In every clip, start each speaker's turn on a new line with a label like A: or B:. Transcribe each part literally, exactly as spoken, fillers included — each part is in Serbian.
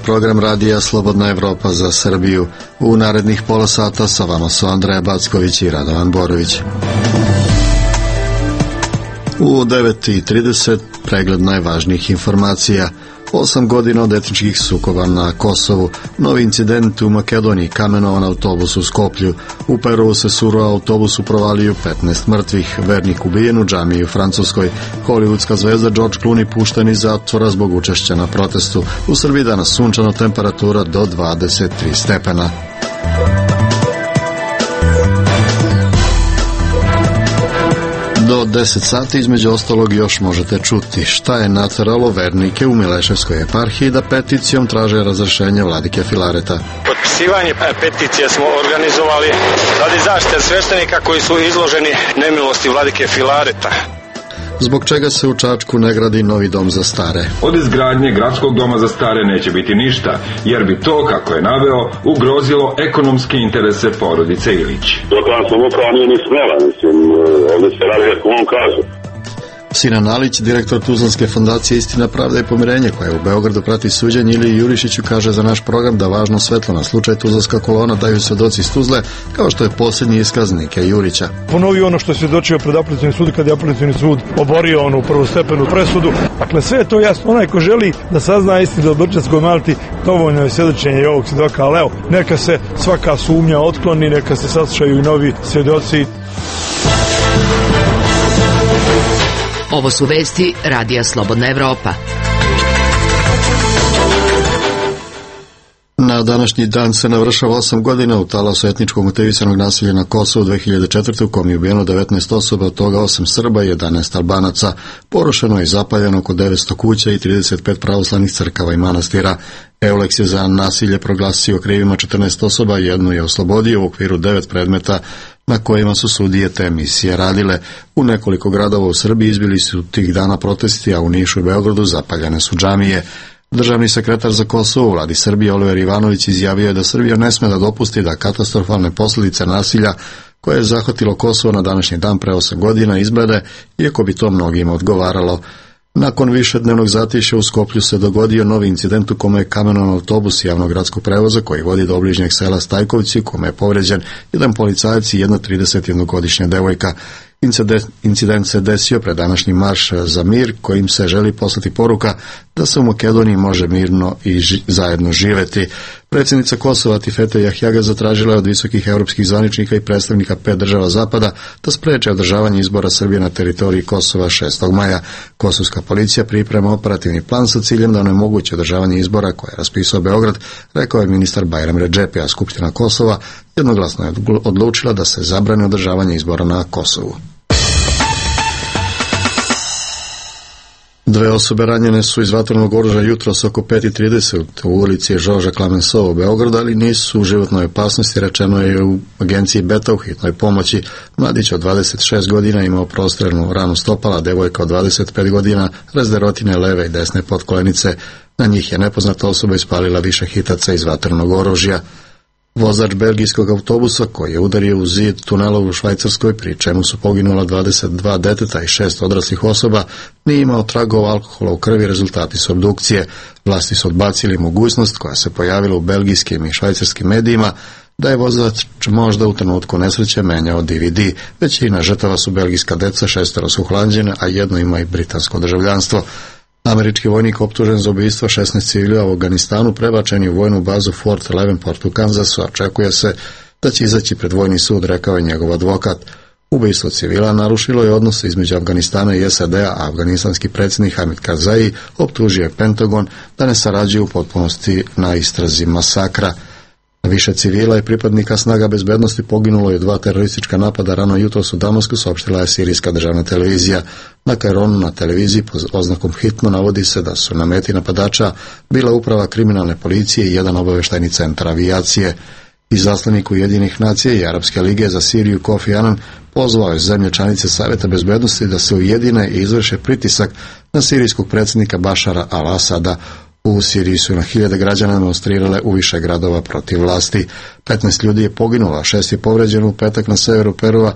A: program radija Slobodna Evropa za Srbiju. U narednih pola sata sa vama su Andreja Backović i Radovan Borović. U devet i trideset pregled najvažnijih informacija. Osam godina od etničkih sukoba na Kosovu, novi incident u Makedoniji, kamenovan autobus u Skoplju, u Peru se surova autobusu provalio petnaest mrtvih, vernik ubijen u džamiji u Francuskoj, hollywoodska zvezda George Clooney pušten iz zatvora zbog učešća na protestu, u Srbiji danas sunčano, temperatura do dvadeset tri stepena. Do deset sati između ostalog još možete čuti šta je nateralo vernike u Mileševskoj eparhiji da peticijom traže razrešenje vladike Filareta.
B: Potpisivanje peticije smo organizovali radi zaštite sveštenika koji su izloženi nemilosti vladike Filareta.
A: Zbog čega se u Čačku ne gradi novi dom za stare?
C: Od izgradnje gradskog doma za stare neće biti ništa, jer bi to, kako je naveo, ugrozilo ekonomske interese porodice Ilić.
D: Lokalna samouprava nije ni smela, mislim, ovdje se radi kako on kaže.
A: Sinan Alić, direktor Tuzlanske fondacije Istina, pravda i pomirenje, koja u Beogradu prati suđenje, ili Jurišiću kaže za naš program da važno svetlo na slučaj Tuzlanska kolona daju svedoci iz Tuzle, kao što je posljednji iskaz Nike Jurića.
E: Ponovio ono što je svjedočio pred apelacionim sudom kad je apelacioni sud oborio onu prvostepenu presudu. Dakle, sve je to jasno. Onaj ko želi da sazna istinu o Brčanskoj Malti, dovoljno je svjedočenje i ovog svjedoka, ali evo, neka se svaka sumnja otkloni, neka se saslušaju i novi svjedoci.
F: Ovo su vesti radija Slobodna Evropa.
A: Na današnji dan se navršava osam godina u talasu etničkog motivisanog nasilja na Kosovu dve hiljade četvrte. u kom je ubijeno devetnaest osoba, od toga osam Srba i jedanaest Albanaca. Porušeno i zapaljeno oko devetsto kuća i trideset pet pravoslavnih crkava i manastira. Euleks je za nasilje proglasio krivima četrnaest osoba, jednu je oslobodio u okviru devet predmeta na kojima su sudije te emisije radile. U nekoliko gradova u Srbiji izbili su tih dana protesti, a u Nišu i Beogradu zapaljene su džamije. Državni sekretar za Kosovo u vladi Srbije Oliver Ivanović izjavio je da Srbija ne sme da dopusti da katastrofalne posljedice nasilja koje je zahvatilo Kosovo na današnji dan pre osam godina izblede, iako bi to mnogima odgovaralo. Nakon višednevnog zatišja u Skoplju se dogodio novi incident u kome je kamenovan autobus javnog gradskog prevoza koji vodi do obližnjeg sela Stajkovci, u kome je povređen jedan policajac i jedna tridesetjednogodišnja devojka. Incident se desio pred današnji marš za mir, kojim se želi poslati poruka da se u Makedoniji može mirno i ži- zajedno živeti. Predsjednica Kosova Tifete Jahjaga zatražila je od visokih europskih zvaničnika i predstavnika pet država zapada da spreče održavanje izbora Srbije na teritoriji Kosova šestog maja. Kosovska policija priprema operativni plan sa ciljem da onemogući održavanje izbora koje je raspisao Beograd, rekao je ministar Bajram Redžepi, a Skupština Kosova jednoglasno je odlučila da se zabrani održavanje izbora na Kosovu. Dve osobe ranjene su iz vatrenog oružja jutros oko pet i trideset u ulici Žorža Klamensova u Beogradu, ali nisu u životnoj opasnosti, rečeno je u agenciji Beta u hitnoj pomoći. Mladić od dvadeset šest godina imao prostrelnu ranu stopala, devojka od dvadeset pet godina razderotine leve i desne potkolenice. Na njih je nepoznata osoba ispalila više hitaca iz vatrenog oružja. Vozač belgijskog autobusa koji je udario u zid tunela u Švajcarskoj, pri čemu su poginula dvadeset dva deteta i šest odraslih osoba, nije imao tragova alkohola u krvi. Rezultati su obdukcije. Vlasti su odbacili mogućnost koja se pojavila u belgijskim i švajcarskim medijima da je vozač možda u trenutku nesreće menjao D V D. Većina žrtava su belgijska deca, šestero su Holanđane, a jedno ima i britansko državljanstvo. Američki vojnik optužen za ubistvo šesnaest civila u Afganistanu prebačen je u vojnu bazu Fort Leavenport u Kansasu. Očekuje se da će izaći pred vojni sud, rekao je njegov advokat. Ubistvo civila narušilo je odnose između Afganistana i S A D-a, a afganistanski predsjednik Hamid Karzai optužio je Pentagon da ne sarađuje u potpunosti na istrazi masakra. Više civila i pripadnika snaga bezbednosti poginulo je dva teroristička napada rano jutros u Damasku, saopštila je sirijska državna televizija. Na Kaironu na televiziji pod oznakom hitno navodi se da su na meti napadača bila uprava kriminalne policije i jedan obavještajni centar avijacije. Izaslanik Ujedinjenih nacija i Arapske lige za Siriju Kofi Anan pozvao je zemlje članice Savjeta bezbednosti da se ujedine i izvrše pritisak na sirijskog predsjednika Bašara al-Asada. U Siriji su na hiljade građana demonstrirale u više gradova protiv vlasti. petnaest ljudi je poginulo, a šest je povređeno u petak na severu Perua.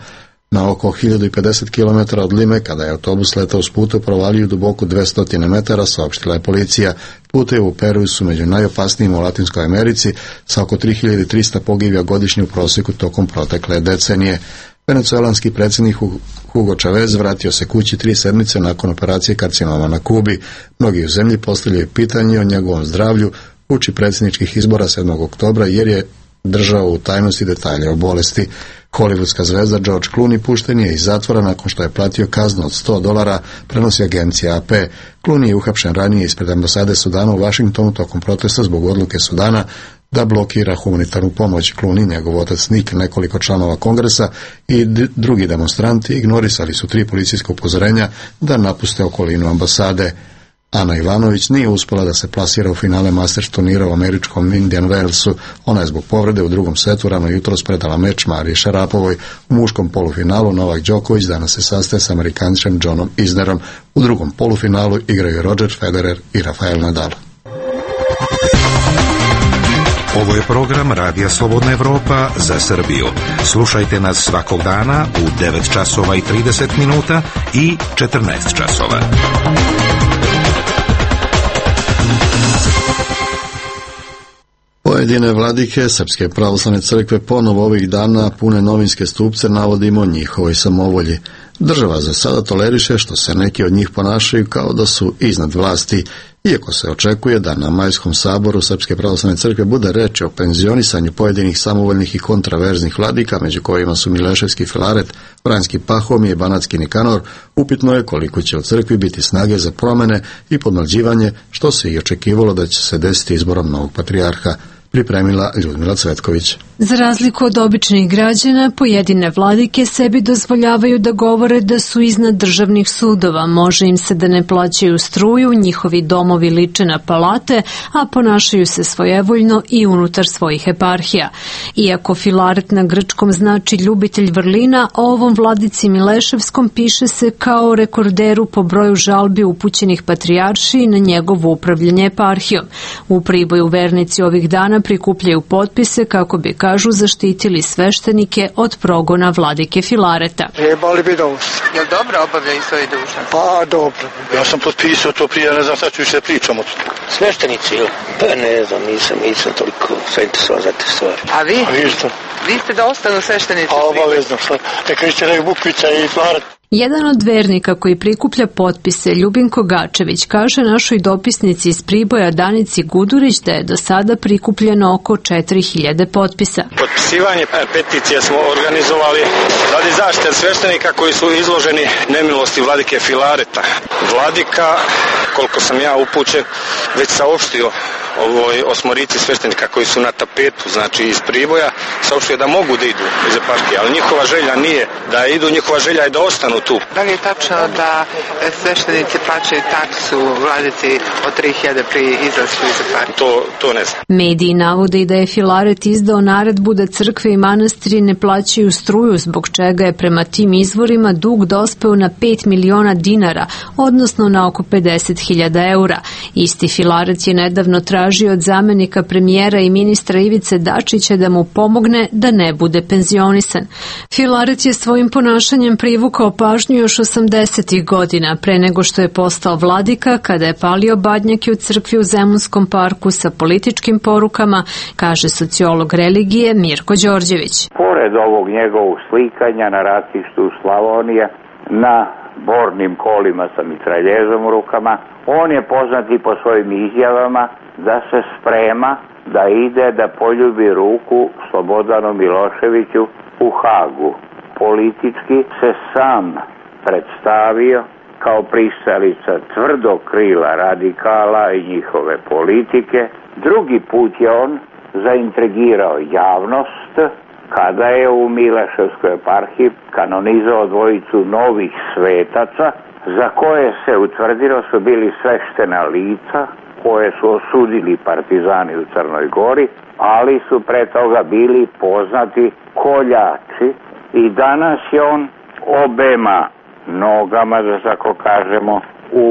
A: Na oko hiljadu pedeset kilometara od Lime, kada je autobus letao s puta u provaliju duboku dvesta metara, saopštila je policija. Putevi u Peruju su među najopasnijim u Latinskoj Americi, sa oko tri hiljade trista pogibija godišnje u prosjeku tokom protekle decenije. Venecuelanski predsjednik Hugo Chavez vratio se kući tri sedmice nakon operacije karcinoma na Kubi. Mnogi u zemlji postavljaju pitanje o njegovom zdravlju uoči predsjedničkih izbora sedmog oktobra, jer je držao u tajnosti detalje o bolesti. Hollywoodska zvezda George Clooney pušten je iz zatvora nakon što je platio kaznu od sto dolara, prenosi agencija A P. Clooney je uhapšen ranije ispred ambasade Sudana u Vašingtonu tokom protesta zbog odluke Sudana da blokira humanitarnu pomoć. Clooney, njegov otac Nick, nekoliko članova kongresa i drugi demonstranti ignorisali su tri policijska upozorenja da napuste okolinu ambasade. Ana Ivanović nije uspjela da se plasira u finale Masters turnira u američkom Indian Wellsu. Ona je zbog povrede u drugom setu rano jutros predala meč Mariji Šarapovoj. U muškom polufinalu Novak Đoković danas se sastaje s Amerikančem Johnom Isnerom. U drugom polufinalu igraju Roger Federer i Rafael Nadal.
G: Ovo je program Radija Slobodna Evropa za Srbiju. Slušajte nas svakog dana u devet časova i trideset minuta i četrnaest časova.
A: Pojedine vladike Srpske pravoslavne crkve ponovo ovih dana pune novinske stupce navodimo njihovoj samovolji. Država za sada toleriše što se neki od njih ponašaju kao da su iznad vlasti, iako se očekuje da na Majskom saboru Srpske pravoslavne crkve bude reči o penzionisanju pojedinih samovoljnih i kontraverznih vladika, među kojima su Mileševski Filaret, Vranjski Pahomije i Banatski Nikanor. Upitno je koliko će u crkvi biti snage za promene i podmlađivanje, što se i očekivalo da će se desiti izborom novog patrijarha, pripremila Ljudmila Cvetković.
H: Za razliku od običnih građana, pojedine vladike sebi dozvoljavaju da govore da su iznad državnih sudova, može im se da ne plaćaju struju, njihovi domovi liče na palate, a ponašaju se svojevoljno i unutar svojih eparhija. Iako Filaret na grčkom znači ljubitelj vrlina, o ovom vladici Mileševskom piše se kao rekorderu po broju žalbi upućenih patrijaršiji na njegovo upravljanje eparhijom. U Priboju vernici ovih dana prikupljaju potpise kako bi, kažu, zaštitili sveštenike od progona vladike Filareta.
I: Trebali bi da usta.
J: Jel dobro obavljaju svoje dužnosti?
I: Pa dobro. Ja sam potpisao to prije, ne znam šta ću više pričam o to.
K: Sveštenici, ili? Pa ne znam, nisam, nisam toliko zainteresovan za te stvari.
J: A vi?
I: A vi što?
J: Vi ste da ostanu sveštenici?
I: A obavezno, sad. Neka ište nek Bukvica i Filaret.
H: Jedan od vernika koji prikuplja potpise, Ljubinko Gačević, kaže našoj dopisnici iz Priboja Danici Gudurić da je do sada prikupljeno oko četiri hiljade potpisa.
B: Potpisivanje peticije smo organizovali radi zaštite sveštenika koji su izloženi nemilosti vladike Filareta. Vladika, koliko sam ja upućen, već saopštio ovoj osmorici sveštenika koji su na tapetu, znači iz Priboja, saopštio da mogu da idu iz eparhije, ali njihova želja nije da idu, njihova želja je da ostanu tu.
J: Da li je tačno da sveštenici plaćaju taksu vladici od tri hiljade pri izlasku iz eparhije?
B: To, to ne znam.
H: Mediji navode i da je Filaret izdao naredbu da crkve i manastiri ne plaćaju struju, zbog čega je prema tim izvorima dug dospeo na pet miliona dinara, odnosno na oko pedeset hiljada eura. Isti Filaret je nedavno tražio od zamenika premijera i ministra Ivice Dačića da mu pomogne da ne bude penzionisan. Filaret je svojim ponašanjem privukao pažnju još osamdesetih godina, pre nego što je postao vladika, kada je palio badnjake u crkvi u Zemunskom parku sa političkim porukama, kaže sociolog religije Mirko Đorđević.
L: Pored ovog njegovog slikanja na ratištu Slavonije, na bornim kolima sa mitraljezom u rukama, on je poznat i po svojim izjavama da se sprema da ide da poljubi ruku Slobodanu Miloševiću u Hagu. Politički se sam predstavio kao pristalica tvrdog krila radikala i njihove politike. Drugi put je on zaintrigirao javnost kada je u Mileševskoj eparhiji kanonizao dvojicu novih svetaca za koje se utvrdilo su bili sveštena lica koje su osudili partizani u Crnoj Gori, ali su pre toga bili poznati koljači i danas je on obema nogama, da tako kažemo, u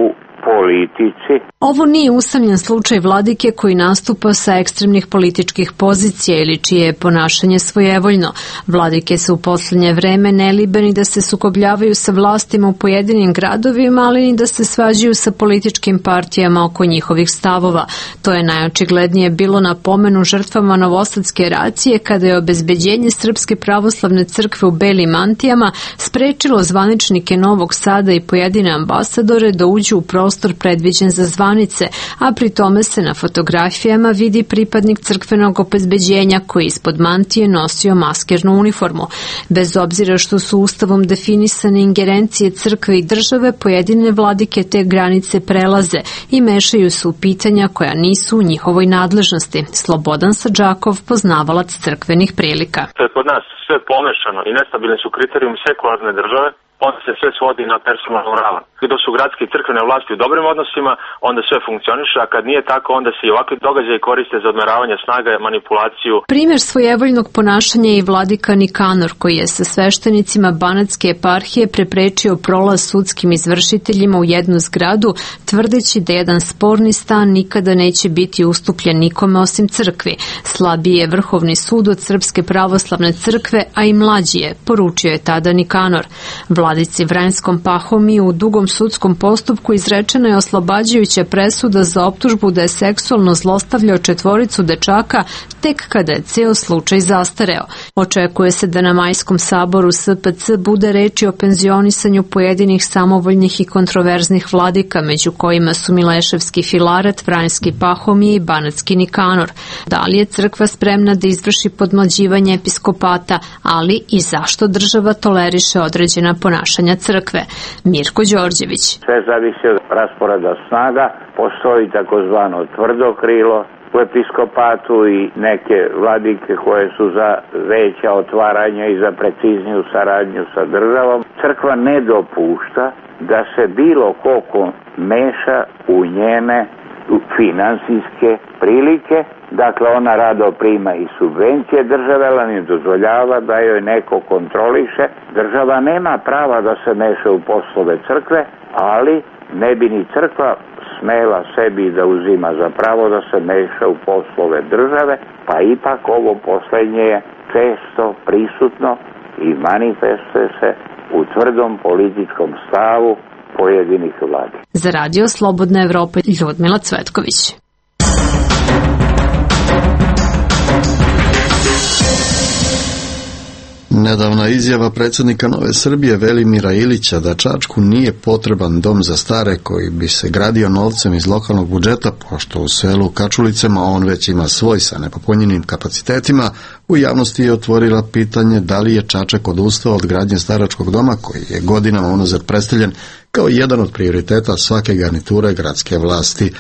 L: politici.
H: Ovo nije usamljen slučaj vladike koji nastupa sa ekstremnih političkih pozicija ili čije je ponašanje svojevoljno. Vladike su u poslednje vreme nelibeni da se sukobljavaju sa vlastima u pojedinim gradovima, ali ni da se svađaju sa političkim partijama oko njihovih stavova. To je najočiglednije bilo na pomenu žrtvama Novosadske racije kada je obezbeđenje Srpske pravoslavne crkve u belim mantijama sprečilo zvaničnike Novog Sada i pojedine ambasadore da uđu u prostor predviđen za zvanice, a pri tome se na fotografijama vidi pripadnik crkvenog obezbeđenja koji ispod mantije nosio maskernu uniformu. Bez obzira što su ustavom definisane ingerencije crkve i države, pojedine vladike te granice prelaze i mešaju se u pitanja koja nisu u njihovoj nadležnosti. Slobodan Sadžakov, poznavalac crkvenih prilika.
M: To je kod nas sve pomešano i nestabilni su kriterijumi sekularne države, onda se sve svodi na personalnu ravan. Dok su gradske i crkvene vlasti u dobrim odnosima, onda sve funkcioniše, a kad nije tako, onda se i ovakvi događaji koriste za odmeravanje snaga i manipulaciju.
H: Primjer svojevoljnog ponašanja je i vladika Nikanor, koji je sa sveštenicima Banatske eparhije preprečio prolaz sudskim izvršiteljima u jednu zgradu, tvrdeći da jedan sporni stan nikada neće biti ustupljen nikome osim crkvi. Slabiji je Vrhovni sud od Srpske pravoslavne crkve, a i mlađi je, poručio je tada Nikanor. Vladici Vranjskom Pahomiju u dugom sudskom postupku izrečena je oslobađajuća presuda za optužbu da je seksualno zlostavljao četvoricu dečaka tek kada je ceo slučaj zastareo. Očekuje se da na Majskom saboru S P C bude reči o penzionisanju pojedinih samovoljnih i kontroverznih vladika, među kojima su Mileševski Filaret, Vranjski Pahomije i Banatski Nikanor. Da li je crkva spremna da izvrši podmlađivanje episkopata, ali i zašto država toleriše određena ponašanja crkve? Mirko Đorđević.
L: Sve zavisi od rasporeda snaga, postoji takozvano tvrdo krilo u episkopatu i neke vladike koje su za veća otvaranja i za precizniju saradnju sa državom. Crkva ne dopušta da se bilo ko meša u njene finansijske prilike, dakle ona rado prima i subvencije države, ali ne dozvoljava da joj neko kontroliše. Država nema prava da se meša u poslove crkve, ali ne bi ni crkva smela sebi da uzima za pravo da se meša u poslove države, pa ipak ovo poslednje je često prisutno i manifestuje se u tvrdom političkom stavu pojedinih vladi.
H: Za Radio Slobodna Evropa, Ljudmila Cvetković.
A: Nedavna izjava predsjednika Nove Srbije Velimira Ilića da Čačku nije potreban dom za stare koji bi se gradio novcem iz lokalnog budžeta, pošto u selu Kačulicama on već ima svoj sa nepopunjenim kapacitetima, u javnosti je otvorila pitanje da li je Čačak odustao od gradnje staračkog doma koji je godinama unazad predstavljen kao jedan od prioriteta svake garniture gradske vlasti.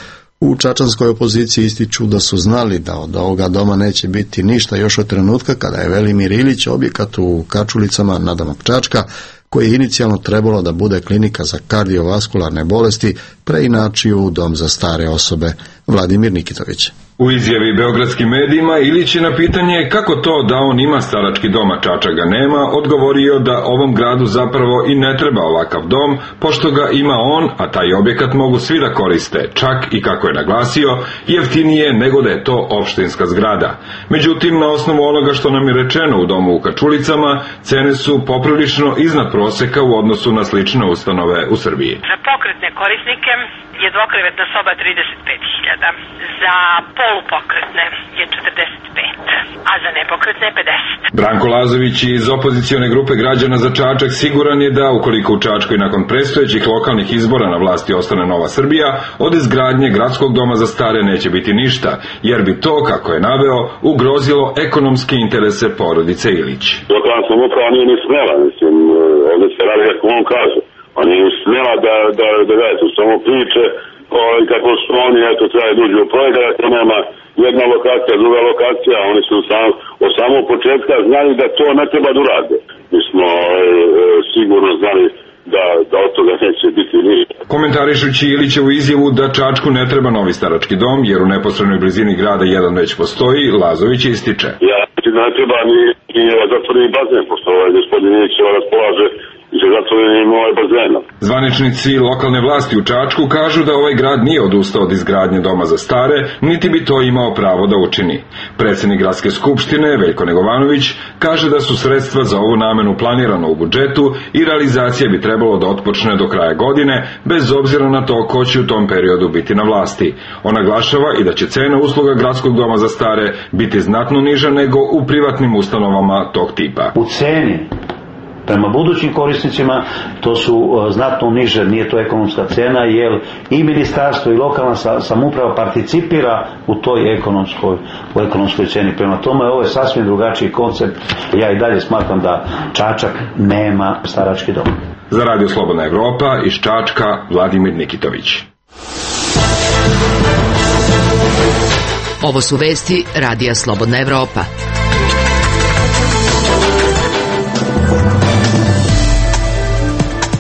A: U čačanskoj opoziciji ističu da su znali da od ovoga doma neće biti ništa još od trenutka kada je Velimir Ilić objekat u Kačulicama nadomak Čačka, koji je inicijalno trebalo da bude klinika za kardiovaskularne bolesti, preinačio u dom za stare osobe. Vladimir Nikitović.
C: U izjavi beogradskim medijima Ilić je na pitanje kako to da on ima starački dom, a Čačak ga nema, odgovorio da ovom gradu zapravo i ne treba ovakav dom, pošto ga ima on, a taj objekat mogu svi da koriste, čak i kako je naglasio, jeftinije nego da je to opštinska zgrada. Međutim, na osnovu onoga što nam je rečeno u domu u Kačulicama, cene su poprilično iznad proseka u odnosu na slične ustanove u Srbiji.
N: Za pokretne korisnike je dvokrevetna soba trideset pet hiljada, za polupokretne je četrdeset pet, a za nepokretne je pedeset.
C: Branko Lazović iz opozicione grupe građana za Čačak siguran je da, ukoliko u Čačku i nakon predstojećih lokalnih izbora na vlasti ostane Nova Srbija, od izgradnje gradskog doma za stare neće biti ništa, jer bi to, kako je naveo, ugrozilo ekonomske interese porodice Ilić.
D: Lokalna samouprava nije ni smela, mislim, ovdje se radi kako on kaže. On nije smela da, da, da daje su samo priče o, kako su oni, eto, treba duži u projekat, to nema jedna lokacija, druga lokacija, oni su sam, od samog početka znali da to ne treba da urade. Mi smo e, sigurno znali da, da od toga neće biti ništa.
C: Komentarišući Ilićevu izjavu da Čačku ne treba novi starački dom, jer u neposrednoj blizini grada jedan već postoji, Lazović ističe.
D: Ja mislim da ne treba ni, ni zatvoreni bazen, pošto ovaj gospodin Ilić raspolaže sa zatvorenim ovaj bazenom.
C: Zvaničnici lokalne vlasti u Čačku kažu da ovaj grad nije odustao od izgradnje doma za stare, niti bi to imao pravo da učini. Predsjednik gradske skupštine, Veljko Negovanović, kaže da su sredstva za ovu namenu planirana u budžetu i realizacija bi trebalo da otpočne do kraja godine, bez obzira na to ko će u tom periodu biti na vlasti. On naglašava i da će cena usluga gradskog doma za stare biti znatno niža nego u privatnim ustanovama tog tipa.
O: U ceni prema budućim korisnicima to su uh, znatno niže, nije to ekonomska cena, jer i ministarstvo i lokalna samouprava participira u toj ekonomskoj, u ekonomskoj ceni. Prema tome ovo je sasvim drugačiji koncept. Ja i dalje smatram da Čačak nema starački dom.
C: Za Radio Slobodna Evropa iz Čačka, Vladimir Nikitović.
F: Ovo su vesti Radija Slobodna Evropa.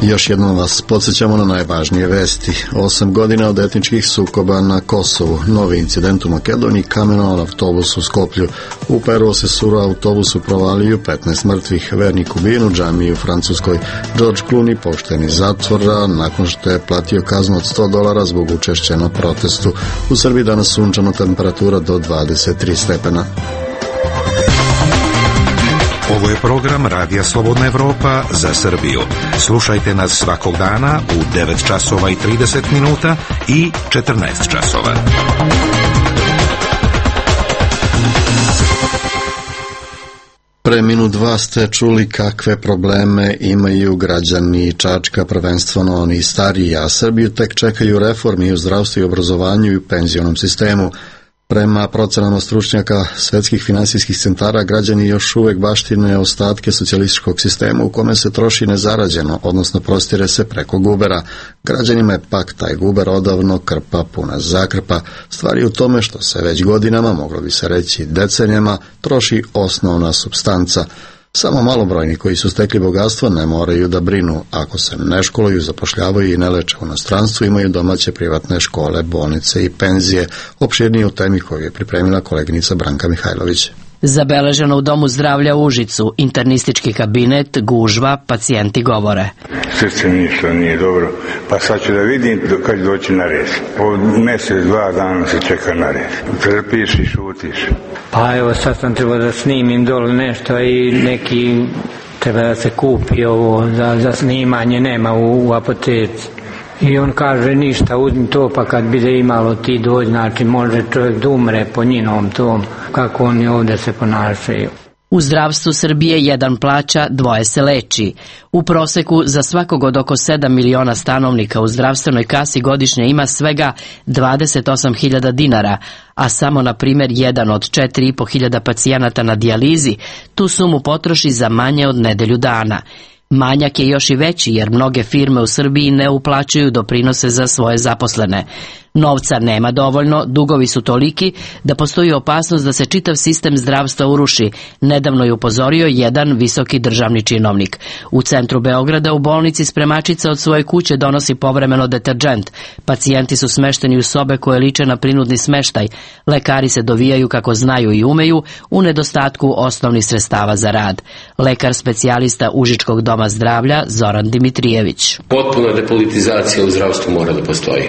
A: Još jednom vas podsjećamo na najvažnije vesti. Osam godina od etničkih sukoba na Kosovu. Novi incident u Makedoniji, kamenovan autobus u Skoplju. U Peru se suru autobusu provalio petnaest mrtvih, vernik ubijen u džamiji u Francuskoj. George Clooney pošten iz zatvora nakon što je platio kaznu od sto dolara zbog učešća na protestu. U Srbiji danas sunčana temperatura do dvadeset tri stepena.
G: Ovo je program Radija Slobodna Evropa za Srbiju. Slušajte nas svakog dana u devet časova i trideset minuta i četrnaest časova.
A: Pre minut dva ste čuli kakve probleme imaju građani Čačka, prvenstveno oni stariji, a Srbiju tek čekaju reformi u zdravstvu i obrazovanju i u penzionom sistemu. Prema procenama stručnjaka svetskih finansijskih centara, građani još uvek baštine ostatke socijalističkog sistema u kome se troši nezarađeno, odnosno prostire se preko gubera. Građanima je pak taj guber odavno krpa puna zakrpa. Stvar je u tome što se već godinama, moglo bi se reći decenijama, troši osnovna supstanca. Samo malobrojni koji su stekli bogatstvo ne moraju da brinu. Ako se ne školuju, zapošljavaju i ne leče u inostranstvu, imaju domaće privatne škole, bolnice i penzije. Opširnije u temi koju je pripremila koleginica Branka Mihajlović.
P: Zabeleženo u Domu zdravlja u Užicu, internistički kabinet, gužva, pacijenti govore.
Q: Srce ništa nije dobro, pa sad ću da vidim kad će doći na red. Od mjesec, dva dana se čeka na red. Trpiš i šutiš.
R: Pa evo sad sam trebao da snimim dole nešto i neki treba da se kupi ovo za, za snimanje, nema u, u apoteci. I on kaže ništa, uzmi to pa kad bude imalo ti dođi, znači može čovjek da umre po njinom tom, kako oni ovdje se ponašaju.
P: U zdravstvu Srbije jedan plaća, dvoje se leči. U proseku za svakog od oko sedam miliona stanovnika u zdravstvenoj kasi godišnje ima svega dvadeset osam hiljada dinara, a samo na primjer jedan od četiri i po hiljada pacijenata na dijalizi tu sumu potroši za manje od nedelju dana. Manjak je još i veći jer mnoge firme u Srbiji ne uplaćuju doprinose za svoje zaposlene. Novca nema dovoljno, dugovi su toliki da postoji opasnost da se čitav sistem zdravstva uruši, nedavno je upozorio jedan visoki državni činovnik. U centru Beograda u bolnici spremačica od svoje kuće donosi povremeno deterdžent. Pacijenti su smešteni u sobe koje liče na prinudni smeštaj. Lekari se dovijaju kako znaju i umeju u nedostatku osnovnih sredstava za rad. Lekar specijalista Užičkog doma zdravlja Zoran Dimitrijević.
S: Potpuna depolitizacija u zdravstvu mora da postoji.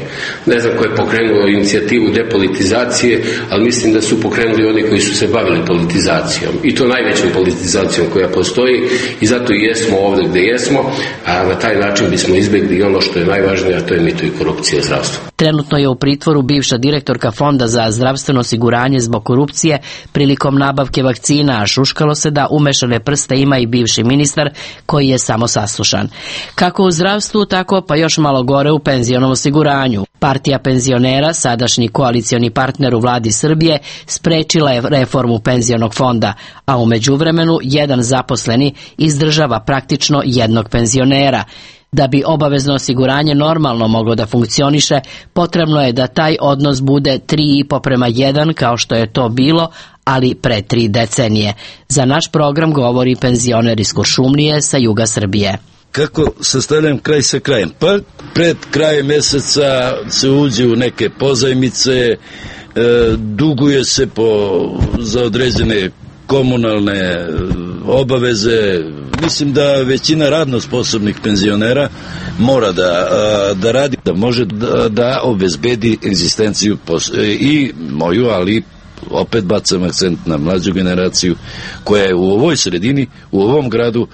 S: Ne znam ko je pokrenuo inicijativu depolitizacije, ali mislim da su pokrenuli oni koji su se bavili politizacijom. I to najvećom politizacijom koja postoji i zato i jesmo ovdje gdje jesmo, a na taj način bismo izbjegli ono što je najvažnije, a to je mito i korupcija u zdravstvu.
P: Trenutno je u pritvoru bivša direktorka Fonda za zdravstveno osiguranje zbog korupcije prilikom nabavke vakcina, a šuškalo se da umešane prste ima i bivši ministar koji je samo saslušan. Kako u zdravstvu, tako pa još malo gore u penzionom osiguranju. Partija penzionera, sadašnji koalicioni partner u vladi Srbije, sprečila je reformu penzionog fonda, a u međuvremenu jedan zaposleni izdržava praktično jednog penzionera. Da bi obavezno osiguranje normalno moglo da funkcioniše, potrebno je da taj odnos bude tri i po prema jedan kao što je to bilo, ali pre tri decenije. Za naš program govori penzioner iz Kuršumlije sa juga Srbije.
T: Kako sastavljam kraj sa krajem? Pa pred kraj mjeseca se uđe u neke pozajmice, e, duguje se po, za određene komunalne obaveze, mislim da većina radno sposobnih penzionera mora da, da radi, da može da, da obezbedi egzistenciju i moju, ali opet bacam akcent na mlađu generaciju koja je u ovoj sredini, u ovom gradu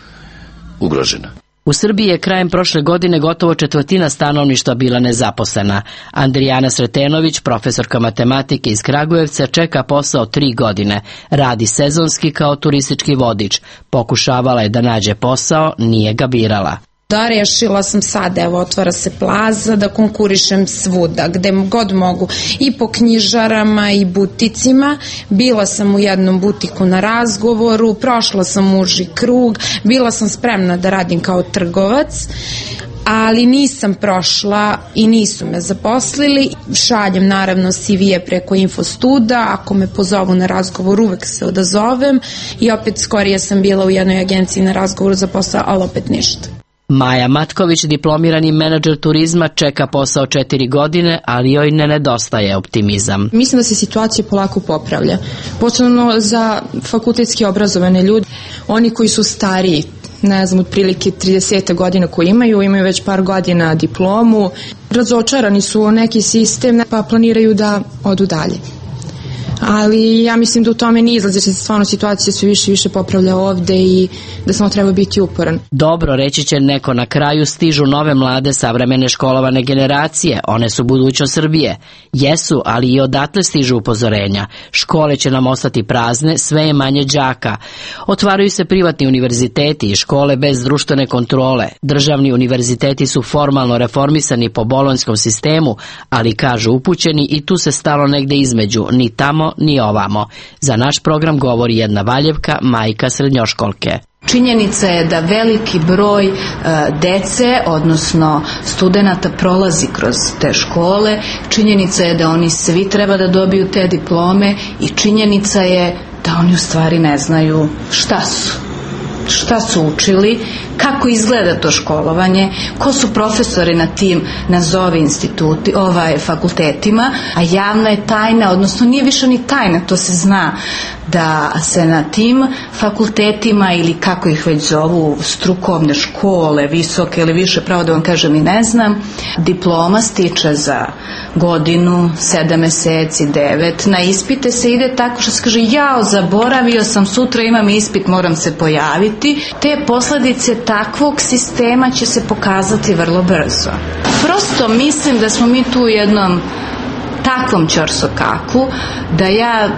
T: ugrožena.
P: U Srbiji je krajem prošle godine gotovo četvrtina stanovništva bila nezaposlena. Andrijana Sretenović, profesorka matematike iz Kragujevca, čeka posao tri godine. Radi sezonski kao turistički vodič. Pokušavala je da nađe posao, nije ga birala.
U: Da, rešila sam sad, evo, otvara se plaza, da konkurišem svuda, gde god mogu, i po knjižarama i buticima. Bila sam u jednom butiku na razgovoru, prošla sam uži krug, bila sam spremna da radim kao trgovac, ali nisam prošla i nisu me zaposlili. Šaljem naravno C V-e preko Infostuda, ako me pozovu na razgovor uvek se odazovem i opet skorije sam bila u jednoj agenciji na razgovoru za posao, ali opet ništa.
P: Maja Matković, diplomirani menadžer turizma, čeka posao četiri godine, ali joj ne nedostaje optimizam.
V: Mislim da se situacija polako popravlja. Posebno za fakultetski obrazovane ljude, oni koji su stariji, ne znam, otprilike trideset godina koji imaju, imaju već par godina diplomu, razočarani su u neki sistem pa planiraju da odu dalje. Ali ja mislim da u tome nije izlaz, jer se stvarno situacija sve više i više popravlja ovde i da samo treba biti uporan.
P: Dobro, reći će neko, na kraju stižu nove mlade savremene školovane generacije, one su budućnost Srbije. Jesu, ali i odatle stižu upozorenja. Škole će nam ostati prazne, sve je manje đaka. Otvaraju se privatni univerziteti i škole bez društvene kontrole. Državni univerziteti su formalno reformisani po bolonjskom sistemu, ali kažu upućeni i tu se stalo negde između, ni tamo ni ovamo. Za naš program govori jedna Valjevka, majka srednjoškolke.
W: Činjenica je da veliki broj e, dece, odnosno studenata, prolazi kroz te škole. Činjenica je da oni svi treba da dobiju te diplome i činjenica je da oni u stvari ne znaju šta su. Šta su učili, kako izgleda to školovanje, ko su profesori na tim nazovi instituti, ovaj, fakultetima, a javna je tajna, odnosno nije više ni tajna, to se zna da se na tim fakultetima ili kako ih već zovu, strukovne škole, visoke ili više, pravo da vam kažem i ne znam, diploma stiče za godinu, sedam meseci, devet, na ispite se ide tako što se kaže jao, zaboravio sam, sutra imam ispit, moram se pojaviti. Te posledice takvog sistema će se pokazati vrlo brzo. Prosto mislim da smo mi tu u jednom takvom ćorsokaku, da ja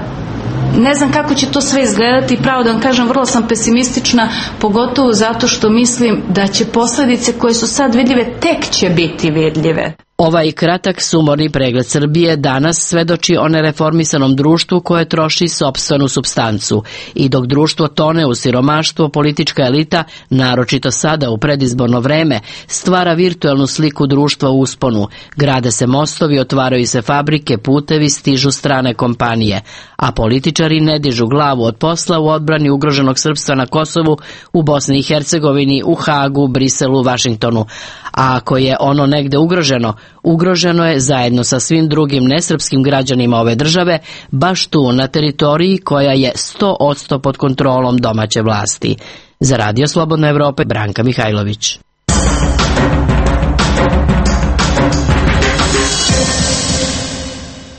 W: ne znam kako će to sve izgledati, pravo da vam kažem, vrlo sam pesimistična, pogotovo zato što mislim da će posledice koje su sad vidljive tek će biti vidljive.
P: Ovaj kratak sumorni pregled Srbije danas svedoči o nereformisanom društvu koje troši sopstvenu supstancu. I dok društvo tone u siromaštvo, politička elita, naročito sada u predizborno vreme, stvara virtuelnu sliku društva u usponu. Grade se mostovi, otvaraju se fabrike, putevi, stižu strane kompanije. A političari ne dižu glavu od posla u odbrani ugroženog srpstva na Kosovu, u Bosni i Hercegovini, u Hagu, Briselu, Vašingtonu. A ako je ono negde ugroženo, ugroženo je zajedno sa svim drugim nesrpskim građanima ove države, baš tu na teritoriji koja je sto posto pod kontrolom domaće vlasti. Za Radio Slobodna Evropa, Branka Mihajlović.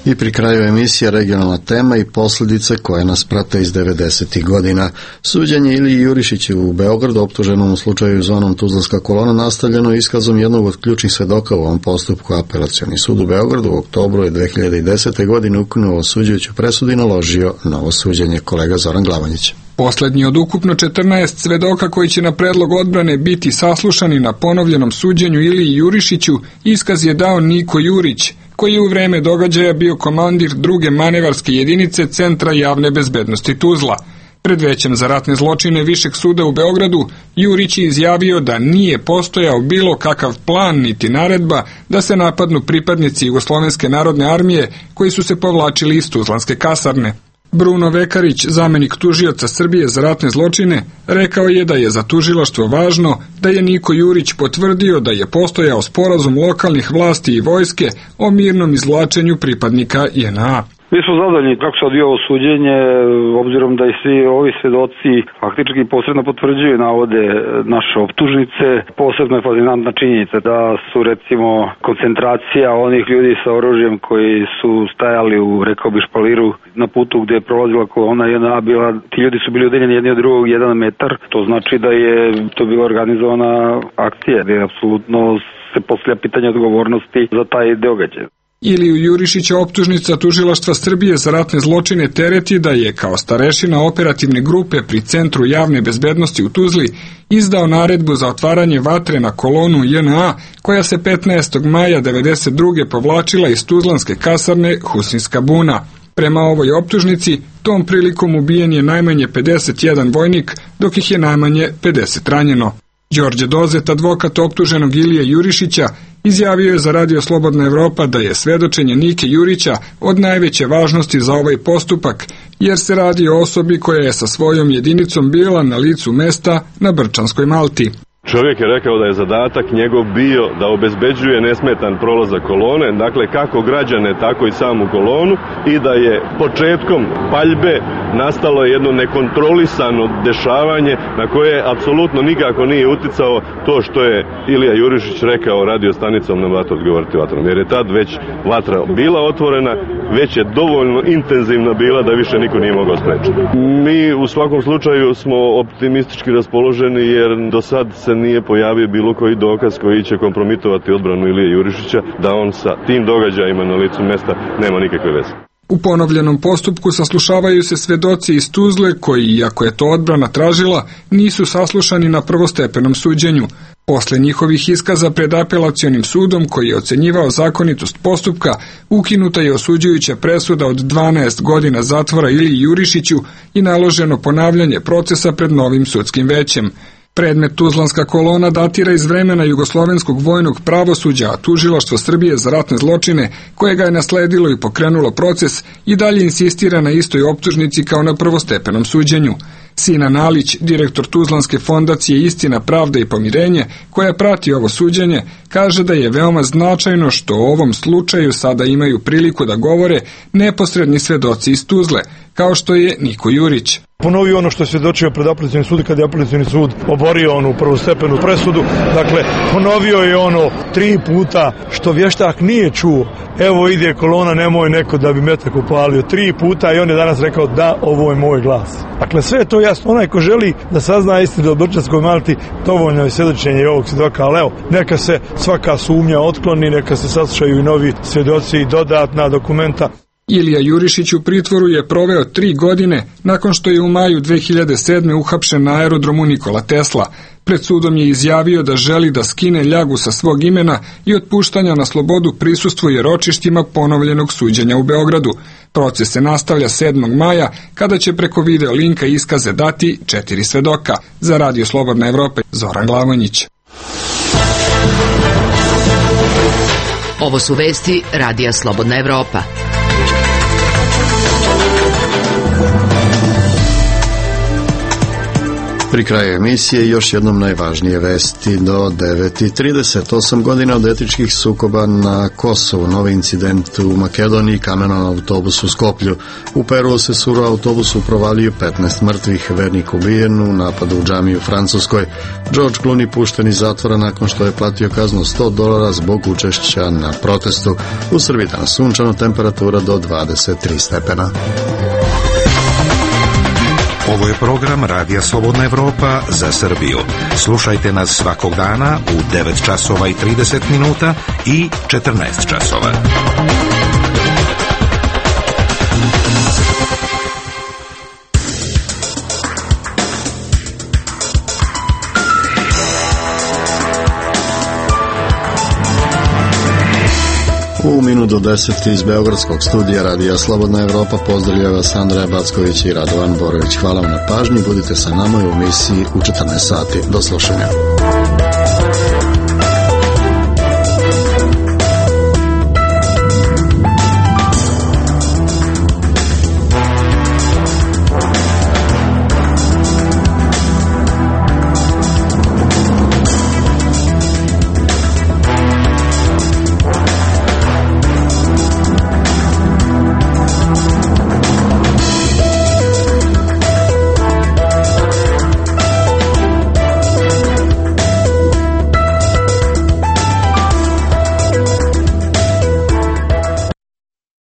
A: I pri kraju emisija regionalna tema i posljedice koje nas prate iz devedesetih godina. Suđenje Iliji Jurišiću u Beogradu, optuženom u slučaju zvanom Tuzlanska kolona, nastavljeno iskazom jednog od ključnih svedoka u ovom postupku. Apelacioni sud u Beogradu u oktobru dve hiljade desete. godine ukinuo osuđujuću presudu i naložio novo suđenje. Kolega Zoran Glavanjić.
X: Poslednji od ukupno četrnaest svedoka koji će na predlog odbrane biti saslušani na ponovljenom suđenju Iliji Jurišiću, iskaz je dao Niko Jurić, koji je u vreme događaja bio komandir druge manevarske jedinice Centra javne bezbednosti Tuzla. Pred većem za ratne zločine Višeg suda u Beogradu, Jurić je izjavio da nije postojao bilo kakav plan niti naredba da se napadnu pripadnici Jugoslovenske narodne armije koji su se povlačili iz Tuzlanske kasarne. Bruno Vekarić, zamenik tužioca Srbije za ratne zločine, rekao je da je za tužilaštvo važno da je Niko Jurić potvrdio da je postojao sporazum lokalnih vlasti i vojske o mirnom izvlačenju pripadnika J N A.
E: Mi smo zadovoljni kako se odvija ovo suđenje, obzirom da i svi ovi svedoci faktički posredno potvrđuju navode naše optužnice. Posebno je fascinantna činjenica da su recimo koncentracija onih ljudi sa oružjem koji su stajali u, rekao bi, špaliru na putu gde je prolazila kolona J N A bila, ti ljudi su bili udaljeni jedni od drugog jedan metar. To znači da je to bila organizovana akcija, gde je apsolutno se postavlja pitanje odgovornosti za taj događaj.
X: Iliju Jurišića optužnica Tužilaštva Srbije za ratne zločine tereti da je kao starešina operativne grupe pri Centru javne bezbednosti u Tuzli izdao naredbu za otvaranje vatre na kolonu J N A koja se petnaestog maja devedeset druge povlačila iz tuzlanske kasarne Husinska buna. Prema ovoj optužnici, tom prilikom ubijen je najmanje pedeset jedan vojnik, dok ih je najmanje pedeset ranjeno. Đorđe Dozet, advokat optuženog Ilije Jurišića, izjavio je za Radio Slobodna Evropa da je svedočenje Nike Jurića od najveće važnosti za ovaj postupak, jer se radi o osobi koja je sa svojom jedinicom bila na licu mesta na Brčanskoj Malti.
I: Čovjek je rekao da je zadatak njegov bio da obezbeđuje nesmetan prolazak kolone, dakle kako građane, tako i samu kolonu, i da je početkom paljbe nastalo jedno nekontrolisano dešavanje na koje apsolutno nikako nije uticao to što je Ilija Jurišić rekao radio stanicom na vatru odgovoriti vatrom, jer je tad već vatra bila otvorena, već je dovoljno intenzivna bila da više niko nije mogao sprečiti. Mi u svakom slučaju smo optimistički raspoloženi jer do sad se nije pojavio bilo koji dokaz koji će kompromitovati odbranu Ilije Jurišića da on sa tim događajima na licu mesta nema nikakve veze.
X: U ponovljenom postupku saslušavaju se svedoci iz Tuzle koji, iako je to odbrana tražila, nisu saslušani na prvostepenom suđenju. Posle njihovih iskaza pred apelacionim sudom koji je ocenjivao zakonitost postupka, ukinuta je osuđujuća presuda od dvanaest godina zatvora Iliji Jurišiću i naloženo ponavljanje procesa pred novim sudskim većem. Predmet Tuzlanska kolona datira iz vremena jugoslovenskog vojnog pravosuđa, a Tužilaštvo Srbije za ratne zločine, koje ga je nasledilo i pokrenulo proces, i dalje insistira na istoj optužnici kao na prvostepenom suđenju. Sinan Alić, direktor Tuzlanske fondacije Istina, pravda i pomirenje, koja prati ovo suđenje, kaže da je veoma značajno što u ovom slučaju sada imaju priliku da govore neposredni svedoci iz Tuzle, kao što je Niko Jurić.
J: Ponovio ono što je svjedočio pred apelacionim sudom kada je apelacioni sud oborio onu prvostepenu presudu. Dakle, ponovio je ono tri puta što vještak nije čuo. Evo ide kolona, nemoj neko da bi metak upalio. Tri puta i on je danas rekao da, ovo je moj glas. Dakle, sve je to jasno. Onaj ko želi da sazna istinu o Brčanskoj Malti, dovoljno je svjedočenje ovog svjedoka, ali evo, neka se svaka sumnja otkloni, neka se saslušaju i novi svjedoci i dodatna dokumenta.
X: Ilija Jurišić u pritvoru je proveo tri godine nakon što je u maju dve hiljade sedme uhapšen na aerodromu Nikola Tesla. Pred sudom je izjavio da želi da skine ljagu sa svog imena i od puštanja na slobodu prisustvuje ročištima ponovljenog suđenja u Beogradu. Proces se nastavlja sedmog maja kada će preko video linka iskaze dati četiri svedoka. Za Radio Slobodna Evropa, Zoran Glavonjić.
F: Ovo su vesti Radija Slobodna Evropa.
A: Pri kraju emisije još jednom najvažnije vesti do devet i trideset. Osam godina od etničkih sukoba na Kosovu, novi incident u Makedoniji, kamenon autobus u Skoplju. U Peru se suru autobusu provalio petnaest mrtvih, vernik ubijen u napadu u džamiju u Francuskoj. George Clooney pušten iz zatvora nakon što je platio kaznu sto dolara zbog učešća na protestu. U Srbiji danas sunčano, temperatura do dvadeset tri stepena.
G: Ovo je program Radija Slobodna Evropa za Srbiju. Slušajte nas svakog dana u devet časova i trideset minuta i četrnaest časova.
A: U minut do deset iz Beogradskog studija Radija Slobodna Evropa pozdravlja vas Andreja Backović i Radovan Borović. Hvala vam na pažnji, budite sa nama u emisiji u četrnaest sati. Do slušanja.